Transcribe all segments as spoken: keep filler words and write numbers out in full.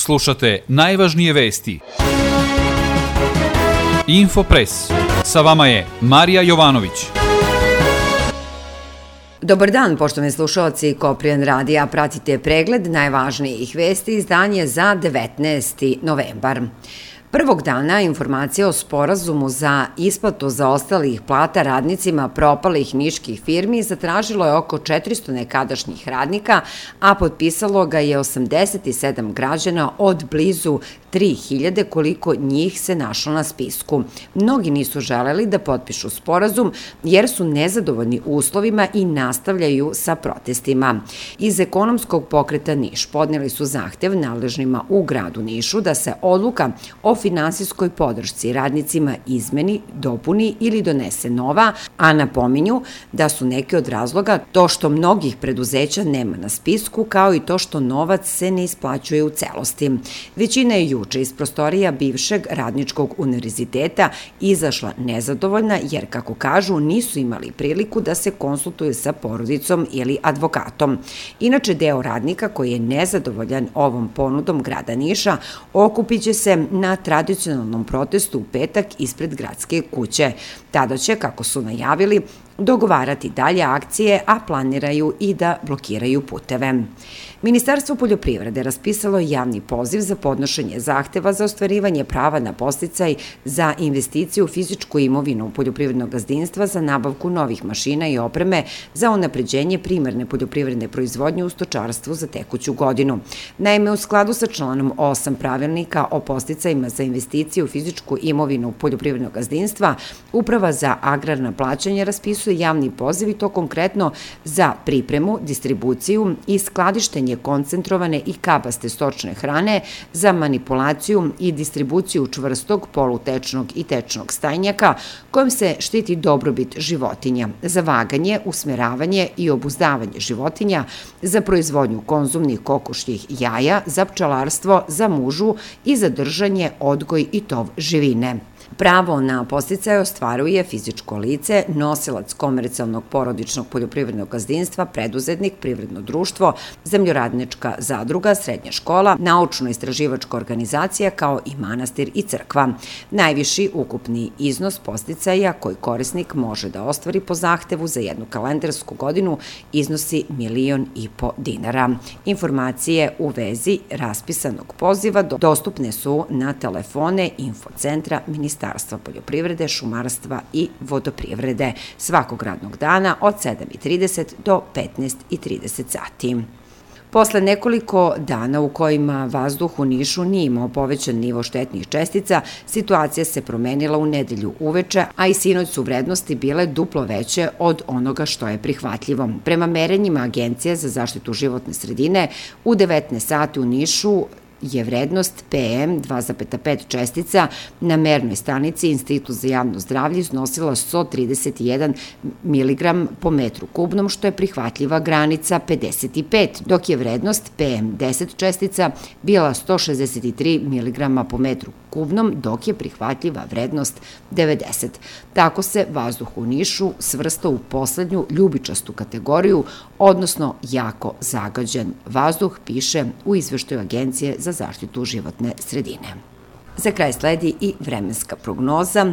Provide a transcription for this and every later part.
Slušate najvažnije vesti. Infopres. Sa vama je Marija Jovanović. Dobar dan, poštovani slušalci Koprijan radija. Pratite pregled najvažnijih vesti izdanje za devetnaesti novembar. Prvog dana informacija o sporazumu za isplatu zaostalih plata radnicima propalih niških firmi zatražilo je oko četiristo nekadašnjih radnika, a potpisalo ga je osamdeset sedam građana od blizu tri hiljade, koliko njih se našlo na spisku. Mnogi nisu želeli da potpišu sporazum jer su nezadovoljni uslovima i nastavljaju sa protestima. Iz ekonomskog pokreta Niš podneli su zahtev nadležnima u gradu Nišu da se odluka o finansijskoj podršci radnicima izmeni, dopuni ili donese nova, a napominju da su neki od razloga to što mnogih preduzeća nema na spisku, kao i to što novac se ne isplaćuje u celosti. Većina je juče iz prostorija bivšeg radničkog univerziteta izašla nezadovoljna jer, kako kažu, nisu imali priliku da se konsultuju sa porodicom ili advokatom. Inače, deo radnika koji je nezadovoljan ovom ponudom grada Niša okupit će se na tradicionalnom protestu u petak ispred gradske kuće. Tada će, kako su najavili, dogovarati dalje akcije, a planiraju i da blokiraju puteve. Ministarstvo poljoprivrede raspisalo je javni poziv za podnošenje zahteva za ostvarivanje prava na podsticaj za investiciju u fizičku imovinu poljoprivrednog gazdinstva za nabavku novih mašina i opreme za unapređenje primarne poljoprivredne proizvodnje u stočarstvu za tekuću godinu. Naime, u skladu sa članom osam pravilnika o podsticajima za investiciju u fizičku imovinu poljoprivrednog gazdinstva, Uprava za agrarna plaćanja raspisuje javni poziv i to konkretno za pripremu, distribuciju i skladištenje koncentrovane i kabaste stočne hrane, za manipulaciju i distribuciju čvrstog, polutečnog i tečnog stajnjaka kojim se štiti dobrobit životinja, za vaganje, usmeravanje i obuzdavanje životinja, za proizvodnju konzumnih kokošjih jaja, za pčelarstvo, za mužu i za držanje, odgoj i tov živine. Pravo na podsticaj ostvaruje fizičko lice, nosilac komercijalnog porodičnog poljoprivrednog gazdinstva, preduzetnik, privredno društvo, zemljoradnička zadruga, srednja škola, naučno-istraživačka organizacija kao i manastir i crkva. Najviši ukupni iznos podsticaja koji korisnik može da ostvari po zahtevu za jednu kalendarsku godinu iznosi milion i po dinara. Informacije u vezi raspisanog poziva dostupne su na telefone Infocentra Ministarstva poljoprivrede, šumarstva i vodoprivrede svakog radnog dana od sedam i trideset do petnaest i trideset sati. Posle nekoliko dana u kojima vazduh u Nišu nije imao povećan nivo štetnih čestica, situacija se promenila u nedelju uveče, a i sinoć su vrednosti bile duplo veće od onoga što je prihvatljivo. Prema merenjima Agencije za zaštitu životne sredine, u devetnaest sati u Nišu je vrednost P M dva zarez pet čestica na mernoj stanici Institut za javno zdravlje iznosila sto trideset jedan miligram po metru kubnom, što je prihvatljiva granica pedeset pet, dok je vrednost P M deset čestica bila sto šezdeset tri miligrama po metru kubnom, dok je prihvatljiva vrednost devedeset. Tako se vazduh u Nišu svrsta u poslednju ljubičastu kategoriju, odnosno jako zagađen vazduh, piše u izveštaju Agencije za zaštitu životne sredine. Za kraj sledi i vremenska prognoza.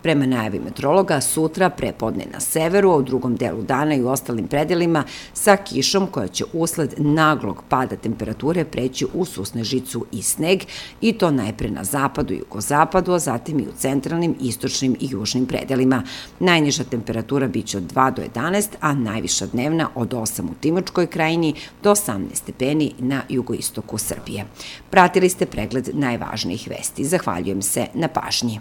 Prema najavi meteorologa, sutra prepodne na severu, a u drugom delu dana i u ostalim predelima sa kišom koja će usled naglog pada temperature preći u susnežicu i sneg, i to najpre na zapadu i jugozapadu, a zatim i u centralnim, istočnim i južnim predelima. Najniža temperatura biće od dva do jedanaest, a najviša dnevna od osam u Timočkoj krajini do osamnaest stepeni na jugoistoku Srbije. Pratili ste pregled najvažnijih vesti. Zahvaljujem se na pažnji.